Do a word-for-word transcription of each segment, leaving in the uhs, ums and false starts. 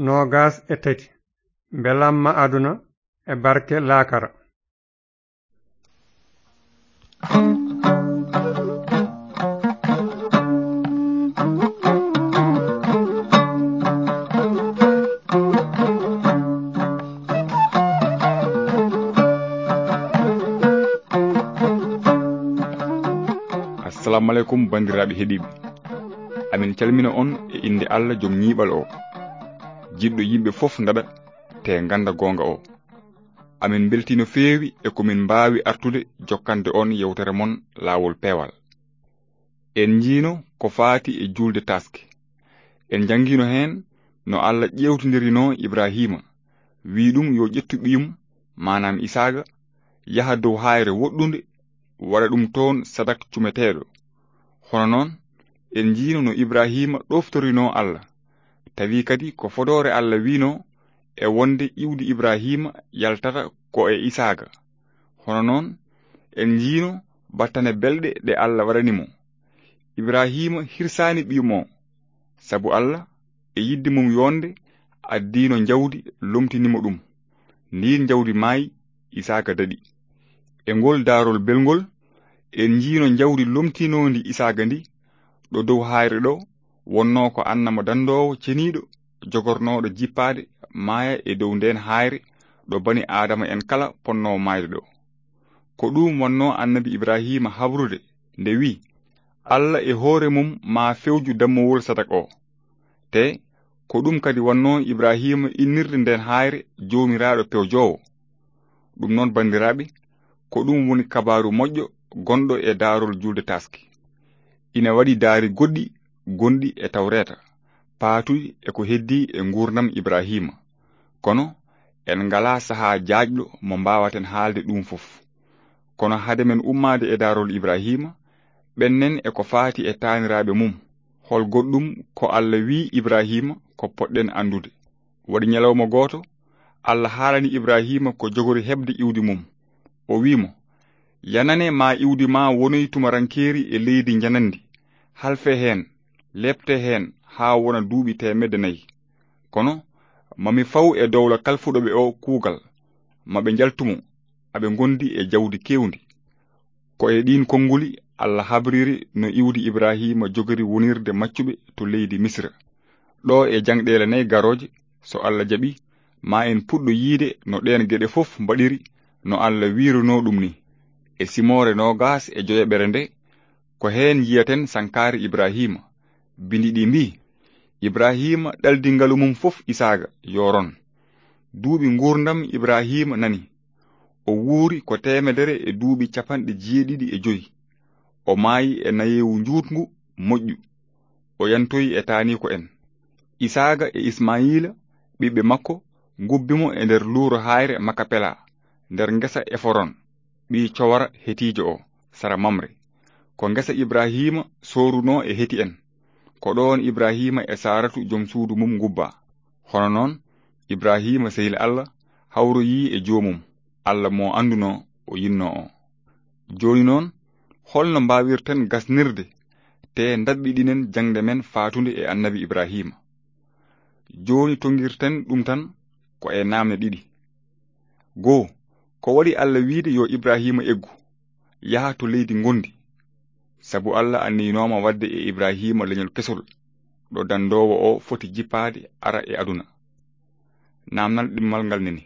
noogas e tati. Mbelamma aduna e barke laakara. Assalamu aleykum, banndiraaɓe heɗiiɓe. Amin calmina on e innde Allah, jom ñiiɓal o, jiɗɗo yimɓe fof ndaɗa te ngannda goonga o. Amin mbeltii no feewi e ko min mbaawi artude jokkande on yewtere mon Laawol Peewal. En njiino ko faati e juulde taaske. En njanngiino heen no Allah ƴeewtindirinoo Ibraahiima, wii ɗum yo ƴettu ɓiyum, maanaam Isaaga, yaha dow haayre woɗɗunde, waɗa ɗum toon sadak cumeteeɗo. Hono noon, en njiino no Ibraahiima ɗoftorinoo Allah, tawi kadi ko fodoore Allah wiinoo e wonde iwdi Ibraahiima yaltata ko e Isaaga. Hono noon, en njiino battane belɗe ɗe Allah waɗani mo. Ibraahiima hirsaani ɓiyum o, sabu Allah e yiɗde mum yonde addiino njawdi, lomtini mo ɗum. Ndiin njawdi maayi, Isaaga daɗi. E ngol daarol belngol, en njiino njawdi lomtinoondi Isaaga ndi, ɗo dow haayre ɗo wonnoo ko annama danndoowo ceniiɗo, jogornooɗo jippaade maaya e dow ndeen haayre ɗo bani Aadama en kala ponnoo maayde ɗo. Ko ɗum wonnoo annabi Ibraahiima habrude nde wii, Allah e hoore mum maa fewju dammowol sadak o. Te ko ɗum kadi wonnoo Ibraahiima innirde ndeen haayre Joomiraaɗo pewjoowo. Ɗum noon, banndiraaɓe, ko ɗum woni kabaaru moƴƴo gonɗo e daarol juulde taaske. Ina waɗi daari goɗɗi gonɗi e Tawreeta, paatuɗi e ko heddii e nguurndam Ibraahiima. Kono en ngalaa sahaa jaajɗo mo mbaawaten haalde ɗum fof. Kono hade men ummaade e daarol Ibraahiima, ɓennen e ko faati e taaniraaɓe mum. Hol goɗɗum ko Allah wii Ibraahiima ko potɗen anndude? Waɗi ñalawma gooto, Allah haalani Ibraahiima ko jogori heɓde iwdi mum. O wii mo, yanane ma iwdi ma wonoy tumarankeeri e leydi njanandi, halfe heen, lepte heen haa wona duuɓi teemedde nayi. Kono ma mi faw e dowla kalfuɗo ɓe o kuugal, ma ɓe njaltu mo, aɓe ngondi e jawdi keewndi. Ko e ɗiin konnguli Allah habriri no iwdi Ibraahiima jogori wonirde maccuɓe to leydi Misra. Ɗo e jangɗeele nayi garooje, so Allah jaɓi, ma en puɗɗo yiide no ɗeen geɗe fof mbaɗiri, no Allah wiirunoo ɗum ni. E simoore noogas e joyaɓere nde, ko heen njiyaten sankaare Ibraahiima. Bindi ɗi mbii, Ibraahiima ɗaldi ngalu mum fof Isaaga, yoron. Duuɓi nguurndam Ibraahiima nani. O wuuri ko teemedere e duuɓi capanɗe jeeɗiɗi e joy. O maayi e nayeewu njuutngu moƴƴu. O yantoyi e taaniiko en. Isaaga e Ismayiila, ɓiɓɓe makko, ngubbi mo e nder luuro haayre Makapela, nder ngesa Eforon, ɓii Cowara Hetiijo o, sara Mamre. Ko ngesa Ibraahiima soorunoo e Heti en. Ko ɗoon Ibraahiima e Saaratu jom suudu mum ngubbaa. Hono noon, Ibraahiima, sehil Allah, hawroyii e joomum, Allah mo anndunoo o yinnoo o. Jooni noon, holno mbaawirten gasnirde, te ndaɗɗiɗinen jaŋde men faatunde e Annabi Ibraahiima? Jooni, tonngirten ɗum tan ko e naamne ɗiɗi. Goo, ko waɗi Allah wiide yo Ibraahiima eggu, yaha to leydi ngondi? Sabu Allah anniynooma waɗde e Ibraahiima leñol kesol, ɗo danndoowo o foti jippaade ara e aduna. Naamnal ɗimmal ngal nani,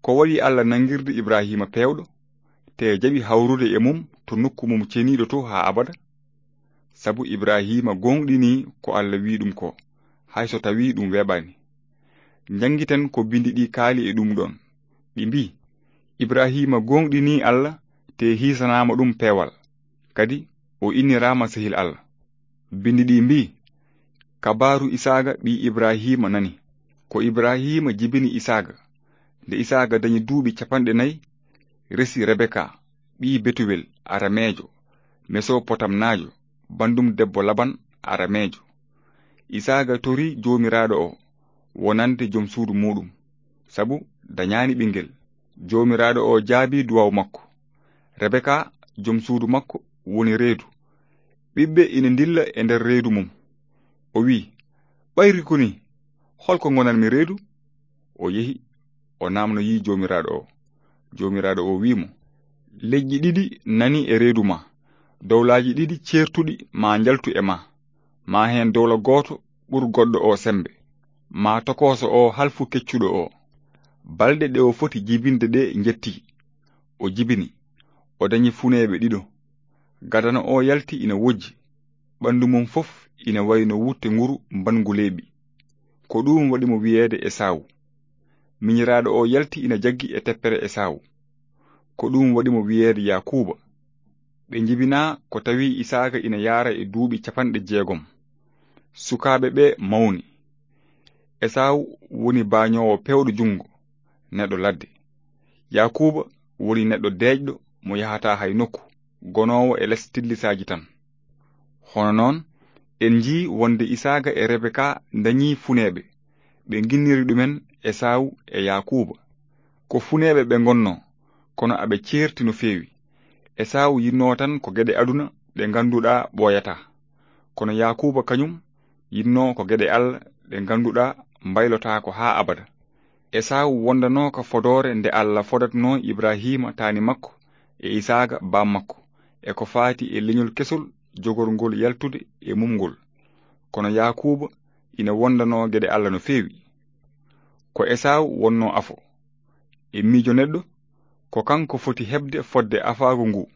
ko waɗi Allah nanngirde Ibraahiima peewɗo, te jaɓi hawrude e mum to nokku mum ceniiɗo to haa abada? Sabu Ibraahiima gooŋɗinii ko Allah wii ɗum ko, hay so tawii ɗum weeɓaani. Njanngiten ko binndi ɗi kaali e ɗum ɗoon. Ɗi mbii, Ibraahiima gooŋɗinii Allah, te hiisanaama ɗum peewal, kadi o inniraama sehil Allah. Binndi ɗi mbii, kabaaru Isaaga ɓii Ibraahiima nani. Ko Ibraahiima jibini Isaaga. Nde Isaaga dañi duuɓi capanɗe nayi, resi Rebeka, ɓii Betuwel, Arameejo, Mesopotamnaajo, banndum debbo Laban, Arameejo. Isaaga tori Joomiraaɗo o wonande jom suudu muuɗum, sabu dañaani ɓinngel. Joomiraaɗo o jaabii duwaaw makko. Rebeka, jom suudu makko, woni reedu. Ɓiɓɓe ina ndilla e nder reedu mum. O wii, ɓayri ko nii, "Hol ko ngonanmi reedu?" O yehi, o naamnoyi Joomiraaɗo o. Joomiraaɗo o wi'i mo, "Leƴƴi ɗiɗi nani e reedu ma. Dowlaaji ɗiɗi ceertuɗi ma njaltu e ma. Ma heen dowla gooto ɓur goɗɗo o semmbe. Ma tokooso o halfu keccuɗo o." Balɗe ɗe o foti jibinde ɗe njetti. O jibini. O dañi funeeɓe ɗiɗo. Gadano o yalti ina wojji. Ɓanndu mum fof ina wayi no wutte nguru mbanngu leeɓi. Ko ɗum waɗi mo wiyeede Esaawu. Miñiraaɗo o yalti ina jaggi e teppere Esaawu. Ko ɗum waɗi mo wiyeede Yaakuuba. Ɓe njibinaa ko tawi Isaaka ina yaara e duuɓi capanɗe jeegom. Sukaaɓe ɓe mawni. Esaawu woni baañoowo peewɗo junngo, neɗɗo ladde. Yaakuuba woni neɗɗo deeƴɗo mo yahataa hay nokku, gonoowo e les tillisaaji tan. Hono noon, en njii wonde Isaaka e Rebeka ndañii funeeɓe, ɓe nginniri ɗumen Esaawu e Yaakuuba. Ko funeeɓe ɓe ngonnoo, kono aɓe ceerti no feewi. Esaawu yinnoo tan ko geɗe aduna ɗe ngannduɗaa ɓooyataa. Kono Yaakuuba kañum yinnoo ko geɗe Alla ɗe ngannduɗaa mbaylotaako haa abada. Esaawu wondanoo ka fodoore nde Alla fodatnoo Ibrahiima taani makko e Isaaka baam makko, e ko faati e leñol kesol jogorngol yaltude e mum ngol. Kono Yaakuuba ina wondanoo geɗe Alla no feewi. Ko Esaawu wonnoo afo. E miijo neɗɗo, ko kanko foti heɓde fodde afaagu ngu,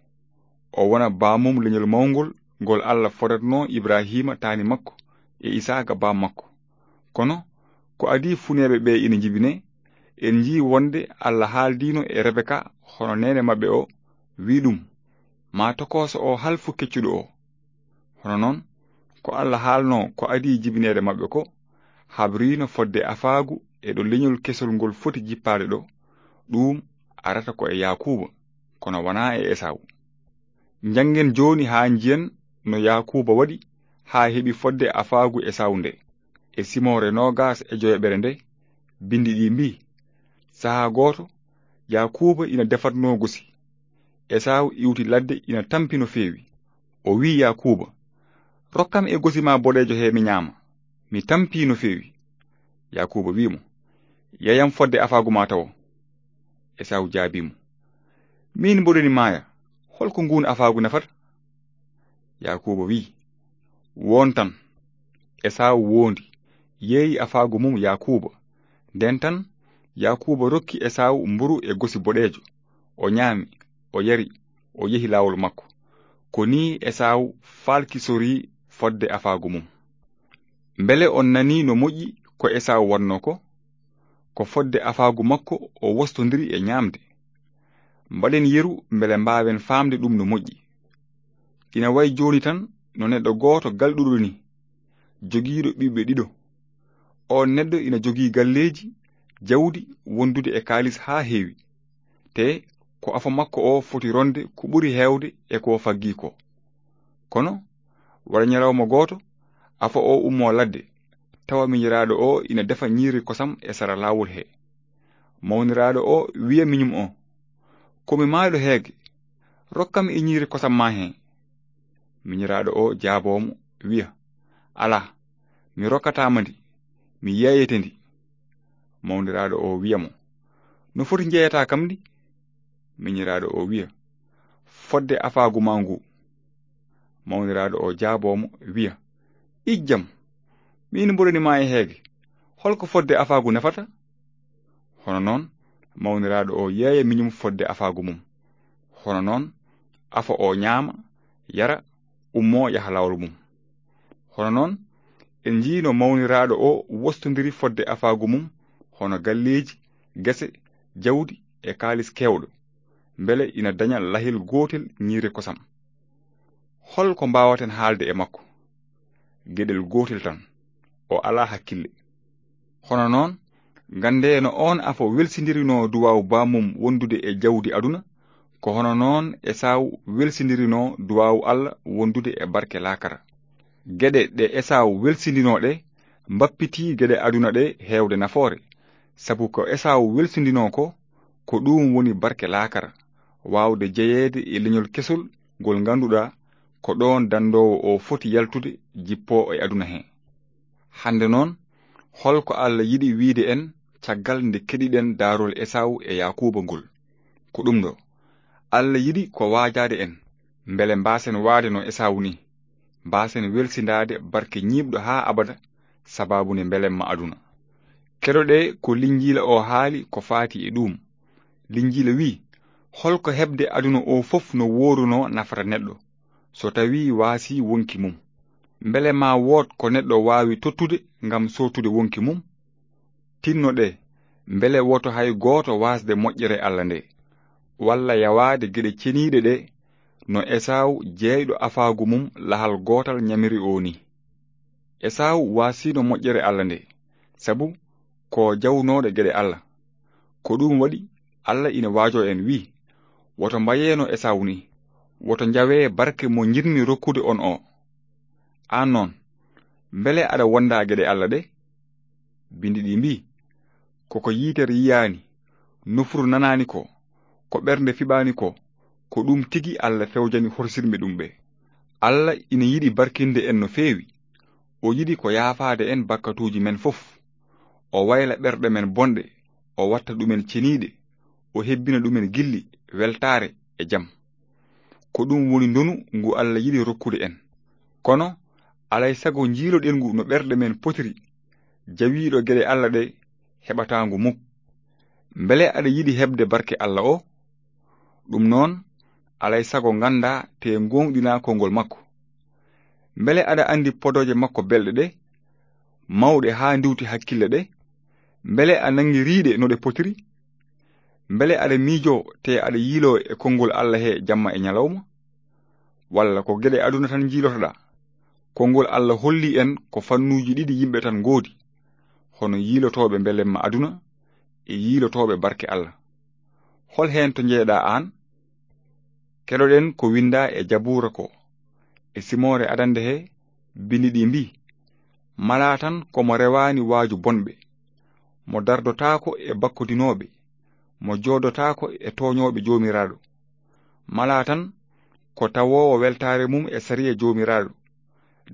o wona baamum leñol mawngol ngol Alla fodatnoo Ibrahiima taani makko e Isaaka baam makko. Kono ko adii funeeɓe ɓe ina njibinee, en njii wonde Alla haaldiino e Rebeka hono neene maɓɓe o, wi'i ɗum, "Ma tokooso o halfu keccuɗo o." Hono noon, ko Alla haalnoo ko adii jibineede maɓɓe ko, habriino fodde afaagu e ɗo leñol kesol ngol foti jippaade ɗo, ɗum arata ko e Yaakuuba, kono wanaa e Esaawu. Njanngen jooni haa njiyen no Yaakuuba waɗi haa heɓi fodde afaagu Esaawu nde. E simoore noogaas e joyaɓere nde, binndi ɗi mbii, sahaa gooto, Yaakuuba ina defatnoo gosi. Esaawu iwti ladde ina tampi no feewi. O wi'i Yaakuuba, "Rokkam e gosi ma boɗeejo he mi ñaama. Mi tampii no feewi." Yaakuuba wi'i mo, "Yeeyam fodde afaagu ma tawo." Esaawu jaabii mo, "Miin mboɗo ni maaya, hol ko nguun afaagu nafata?" Yaakuuba wi'i, "Woon tan." Esaawu woondi, yeeyi afaagu mum Yaakuuba. Ndeen tan, Yaakuuba rokki Esaawu mburu e gosi boɗeejo. O ñaami, o yari, o yehi laawol makko. Ko nii Esaawu faalkisorii fodde afaagu mum. Mbele on nanii no moƴƴi ko Esaawu waɗnoo ko? Ko fodde afaagu makko o wostondiri e ñaamde. Mbaɗen yeru mbele mbaawen faamde ɗum no moƴƴi. Ina wayi jooni tan no neɗɗo gooto galɗuɗo ni, jogiiɗo ɓiɓɓe ɗiɗo. Oon neɗɗo ina jogii galleeji, jawdi wondude e kaalis haa heewi. Te ko afo makko o foti ronde ko ɓuri heewde e ko faggii ko. Kono wara ñalawma gooto, afo o ummoo ladde, tawa miñiraaɗo o ina defa ñiiri kosam e sara laawol he. Mawniraaɗo o wiya miñum o, "Ko mi maayɗo heege, rokkam e ñiiri kosam ma he." Miñiraaɗo o jaaboo mo, wiya, "Alaa, mi rokkataa ma ndi, mi yeeyete ndi." Mawniraaɗo o wiya mo, "No foti njeeyataa kam ndi?" Miñiraaɗo o wiya, "Fodde afaagu ma ngu." Mawniraaɗo o jaaboo mo, wiya, "Ijjam, miin mboɗo ni ma e heege, hol ko fodde afaagu nafata?" Hono noon, mawniraaɗo o yeeya miñum fodde afaagu mum. Hono noon, afo o ñaama, yara, ummoo yaha laawol mum. Hono noon, en njiyno mawniraaɗo o wostondiri fodde afaagu mum, hono galleeji, gese, jawdi e kaalis keewɗo, mbele ina daña lahel gootel ñiiri kosam. Hol ko mbaawaten haalde e makko? Geɗel gootel tan, o alaa hakkille. Hono noon, nganndee no oon afo welsindirinoo duwaaw baamum wondude e jawdi aduna, ko hono noon Esaawu welsindirinoo duwaaw Alla wondude e barke laakara. Geɗe ɗe Esaawu welsindinoo ɗe mbappitii geɗe aduna ɗe heewde nafoore, sabu ko Esaawu welsindinoo ko, ko ɗuum woni barke laakara, waawde jeyeede e leñol kesol ngol ngannduɗaa ko ɗoon danndoowo o foti yaltude jippoo e aduna hee. Hannde noon, Hol ko Allah yiɗi wiide en caggal nde keɗiɗen daarol Esaawu e Yaakuuba ngol? Ko ɗum ɗo. Allah yiɗi ko waajaade en, mbele mbaasen waade no Esaawu ni, mbaasen welsindaade barke ñiiɓɗo haa abada sabaabu nde mbelemma aduna. Keɗoɗee ko Linjiila o haali ko faati e ɗuum. Linjiila wi'i, "Hol ko heɓde aduna o fof no woorunoo nafata neɗɗo, so tawii waasii wonki mum? Mbele maa wood ko neɗɗo waawi tottude ngam sootude wonki mum?" Tinnoɗee, mbele woto hay gooto waasde moƴƴere Allah nde, walla yawaade geɗe ceniiɗe ɗe, no Esaawu jeyɗo afaagu mum lahal gootal ñamiri o ni. Esaawu waasiino moƴƴere Allah nde, sabu ko jawnooɗo geɗe Allah. Ko ɗum waɗi Allah ina waajoo en, wi'i, "Woto mbayeeno Esaawu ni, woto njawee barke mo njiɗmi rokkude on o." Aan noon, mbele aɗa wonda geɗe Allah ɗe? Binndi ɗi mbi'i, "Ko ko yitere yiyaani, nofru nanaani ko, ko ɓernde fiɓaani ko, ko ɗum tigi Allah fewjani horsirmi ɗum ɓe." Allah ina yiɗi barkinde en no feewi. O yiɗi ko yaafaade en bakkatuuji men fof. O wayla ɓerɗe men bonɗe, o watta ɗumen ceniiɗe, o hebbina ɗumen gilli, weltaare e jam. Ko ɗum woni ndonu ngu Allah yiɗi rokkude en. Kono, alay sago njiiloɗen ngu no ɓerɗe men potiri, jawiiɗo geɗe Allah ɗe heɓataa ngu muk. Mbele aɗa yiɗi heɓde barke Allah o? Ɗum noon, alay sago nganndaa te ngooŋɗinaa konngol makko. Mbele aɗa anndi podooje makko belɗe ɗe, mawɗe haa ndiwti hakkille ɗe? Mbele a nanngi riiɗe no ɗe potiri? Mbele aɗa miijoo te aɗa yiiloo e konngol Allah he jamma e ñalawma? Walla ko geɗe aduna tan njiilotoɗaa? Konngol Allah holli en ko fannuuji ɗiɗi yimɓe tan ngoodi, hono yiilotooɓe mbelemma aduna e yiilotooɓe barke Allah. Hol heen to njeyeɗaa aan? Keɗoɗen ko winndaa e Jabuura ko, e simoore adannde he, binndi ɗi mbi'i, "Malaa tan ko mo rewaani waaju bonɓe, mo dardotaako e bakkodinooɓe, mo joodotaako e tooñooɓe Joomiraaɗo. Malaa tan ko tawoowo weltaare mum e sariya Joomiraaɗo,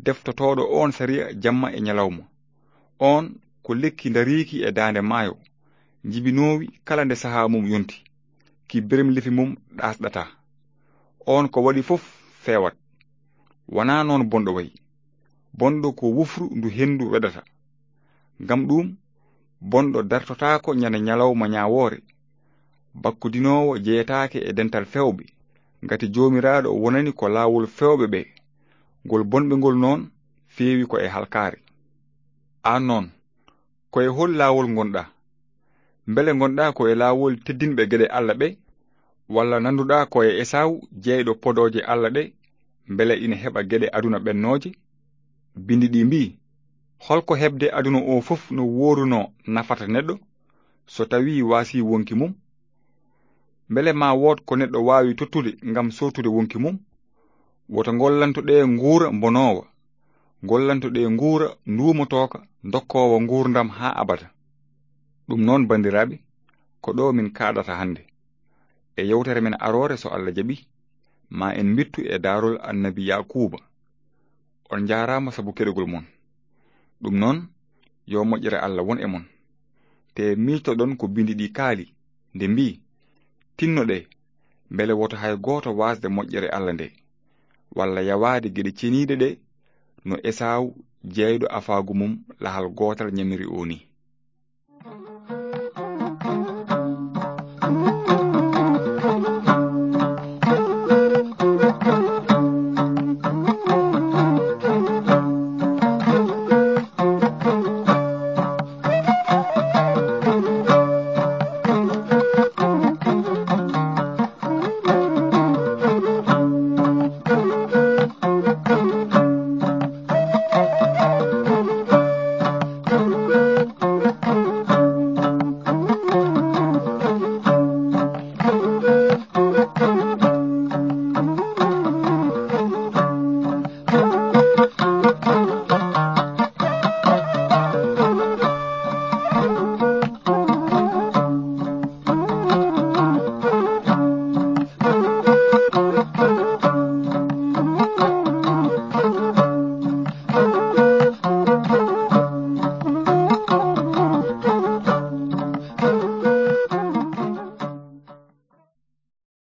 deftotooɗo oon sariya jamma e ñalawma. Oon ko lekki ndariiki e daande maayo, njibinoowi kala nde sahaa mum yonti, ki beremlefi mum ɗaasɗataa. Oon ko waɗi fof feewat. Wanaa noon bonɗo wayi. Bonɗo ko wufru ndu henndu weɗata. Ngam ɗuum, bonɗo dartotaako ñande ñalawma ñaawoore. Bakkodinoowo jeyetaake e dental fewɓe, ngati Joomiraaɗo wonani ko laawol fewɓe ɓe. Ngol bonɓe ngol noon feewi ko e halkaare." Aan noon, ko e hol laawol ngonɗaa? Mbele ngonɗaa ko e laawol teddinɓe geɗe Allah ɓe? Walla nannduɗaa ko e Esaawu, jeyɗo podooje Allah ɗe, mbele ina heɓa geɗe aduna ɓennooje? Binndi ɗi mbi'i, "Hol ko heɓde aduna o fof no woorunoo nafata neɗɗo, so tawii waasii wonki mum? Mbele maa wood ko neɗɗo waawi tottude ngam sootude wonki mum? Woto ngollanto ɗe nguura mbonoowa, ngollanto ɗe nguura nduumotooka, ndokkoowa nguurndam haa abada." Ɗum noon, banndiraaɓe, ko ɗo min kaaɗata hannde. E yewtere men aroore, so Allah jaɓi, ma en mbittu e daarol annabi Yaakuuba. On njaaraama sabu keɗogol mon. Ɗum noon, yo moƴƴere Allah won e mon. Te miijtoɗon ko binndi ɗi kaali, nde mbi'i, "Tinnoɗee, mbele woto hay gooto waasde moƴƴere Allah nde, walla yawaade geɗe ceniiɗe ɗe, no Esaawu, jeyɗo afaagu mum lahal gootal ñamiri o ni."